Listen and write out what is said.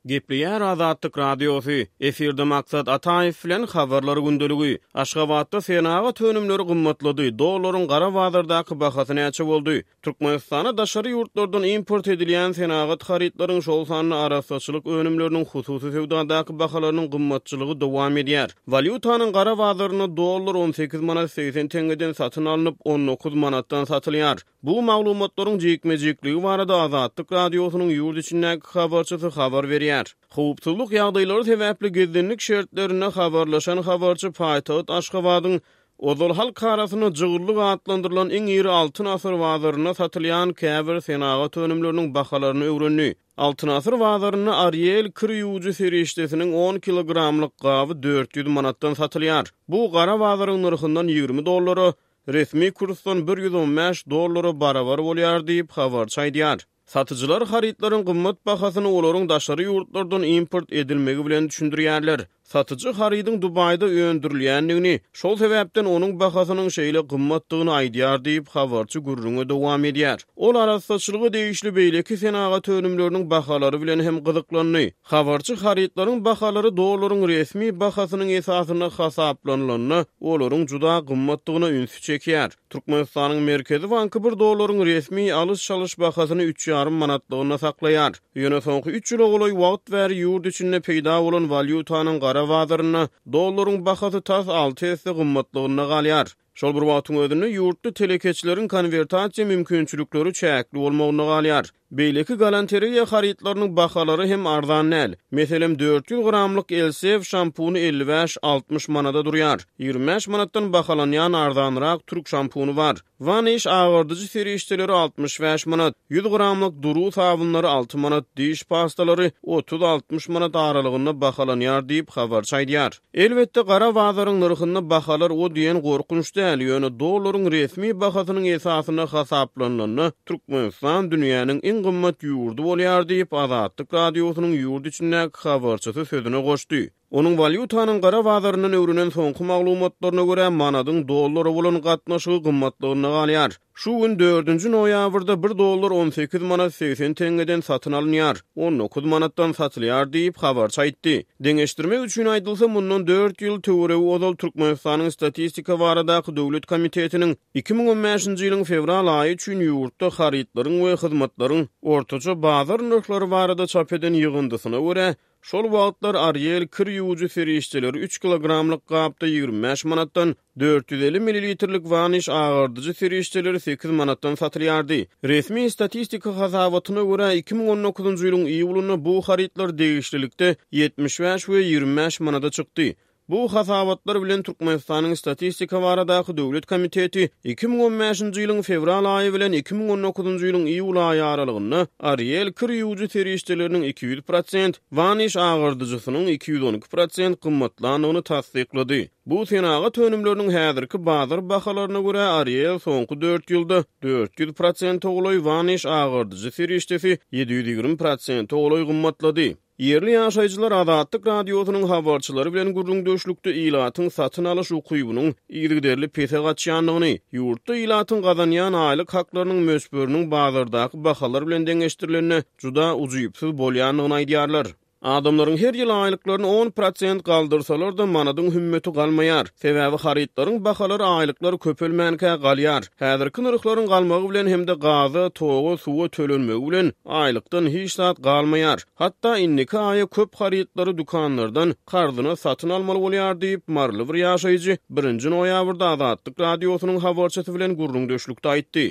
Gepleýär Azatlyk Radiosy, efirde Maksat Ataýew bilen Habarlar gündeligi. Aşgabatda senagat önümleri gymmatlady, dollaryň gara bazardaky bahasy näçe boldy? Türkmenistana daşary ýurtlardan import edilýän senagat harytlaryň, şol sanda arassaçylyk önümleriniň hususy söwdadaky bahalarynyň gymmatçylygy dowam edýär. Walýutanyň gara bazarynda dollar 18 manat 80 teňňeden satyn alnyp, 19 manatdan satylýar. Bu maglumatlaryň jikme-jikligi barada Azatlyk Radiosynyň ýurt içindäki habarçysy habar berýär. Howpsuzlyk ýagdaýlary sebäpli gizlinlik şertlerinde habarlaşan habarçy paýtagt Aşgabadyň ozal halk arasynda jygyllyk atlandyrylan iň iri Altyn asyr bazarynda satylýan käbir senagat önümleriniň bahalaryny öwrendi. Altyn asyr bazarynda Ariel kir ýuwujy serişdesiniň on kilogramlyk gaby 400 manatdan satylýar. Bu gara bazaryň nyrhyndan 20 dollara, resmi kursdan 115 dollara barabar bolýar diýip, habarçy aýdýar. Satyjylar harytlaryň gymmat bahasyny olaryň daşary ýurtlardan import edilmegi bilen düşündirýärler. Satyjy harydyň Dubaýda öndürilýändigini, şol sebäpden onuň bahasynyň şeýle gymmatdygyny aýdýar diýip, habarçy gürrüňe dowam edýär. Ol arassaçylyga degişli beýleki senagat önümleriniň bahalary bilen hem gyzyklandy. Habarçy harytlaryň bahalary dollaryň resmi bahasynyň esasynda hasaplanylanda, olaryň juda gymmatdygyna ünsi çekýär. Türkmenistanyň Merkezi banky bir dollaryň resmi alyş-çalyş bahasyny üç ýarym manatlygynda saklaýar. Ýöne soňky üç ýyla golaý wagt bäri ýurt içinde peýda bolan walýutanyň gara bazarynda dollaryň bahasy tas alty esse gymmatlygynda galýar. Şol bir wagtyň özünde ýurtda telekeçileriň konwertasiýa mümkinçilikleri çäkli bolmagynda galýar. Beýleki galantereýa harytlarynyň bahalary hem arzan däl. Meselem, 400 gramlyk Elseve şampuny 55-60 manada durýar. 25 manatdan bahalanýan arzanrak türk şampuny bar. Vanish agardyjy serişdeleri 65 manat, 100 gramlyk Duru sabynlary 6 manat, diş pastalary 30-60 manat aralygynda bahalanýar diýip, habarçy aýdýar. Elbetde, gara bazaryň nyrhynda bahalar o diýen gorkunç däl, ýöne dollaryň resmi bahasynyň esasynda hasaplanylanda, Türkmenistan dünýäniň iň gymmat ýurdy bolýar diýip, Azatlyk Radiosynyň ýurt içindäki habarçysy sözüne goşdy. Onuň walýutanyň gara bazaryndan öwrenen soňky maglumatlaryna görä, manadyň dollara bolan gatnaşygy gymmatlygynda galýar. Şu gün, dördünji noýabrda bir dollar 18 manat 80 teňňeden satyn alynýar, 19 manatdan satylýar diýip, habarçy aýtdy. Deňeşdirmek üçin aýdylsa, mundan dört ýyl töweregi ozal Türkmenistanyň Statistika baradaky döwlet komitetiniň 2015-nji ýylyň fewral aýy üçin ýurtda harytlaryň we hyzmatlaryň ortaça bazar nyrhlary barada çap eden ýygyndysyna görä, Şol wagtlar Ariel kir ýuwujy serişdeleri üç kilogramlyk gapda 25 manatdan, 450 millilitrlik Vanish agardyjy serişdeleri 8 manatdan satylýardy. Resmi statistika hasabatyna görä, 2019-njy ýylyň iýulynda bu harytlar degişlilikde 75 we 25 manada çykdy. Bu hasabatlar bilen Türkmenistanyň Statistika baradaky döwlet komiteti 2015-nji ýylyň fewral aýy bilen 2019-njy ýylyň iýul aýy aralygynda Ariel kir ýuwujy serişdeleriniň 200 prosent, Vanish agardyjysynyň 212 prosent gymmatlandygyny tassyklady. Bu senagat önümleriniň häzirki bazar bahalaryna görä, Ariel soňky dört ýylda 400 prosente golaý, Vanish agardyjy serişdesi 720 prosente golaý gymmatlady. Ýerli ýaşaýjylar Azatlyk Radiosynyň habarçylary bilen gürrüňdeşlikde ilatyň satyn alyş ukybynyň yzygiderli pese gaçýandygyny, ýurtda ilatyň gazanýan aýlyk haklarynyň möçberiniň bazardaky bahalar bilen deňeşdirilende juda ujypsyz bolýandygyny aýdýarlar. Adamlaryň her ýyl aýlyklaryny on prosent galdyrsalar-da, manadyň hümmeti galmaýar. Sebäbi harytlaryň bahalary aýlyklar köpelmänkä galýar. Häzirki nyrhlaryň galmagy bilen hem-de gaza, toga, suwa tölenmegi bilen aýlykdan hiç zat galmaýar. Hatda indiki aýa köp harytlary dükanlardan karzyna satyn almaly bolýar diýip, maryly bir ýaşaýjy birinji noýabrda Azatlyk Radiosynyň habarçysy bilen gürrüňdeşlikde aýtdy.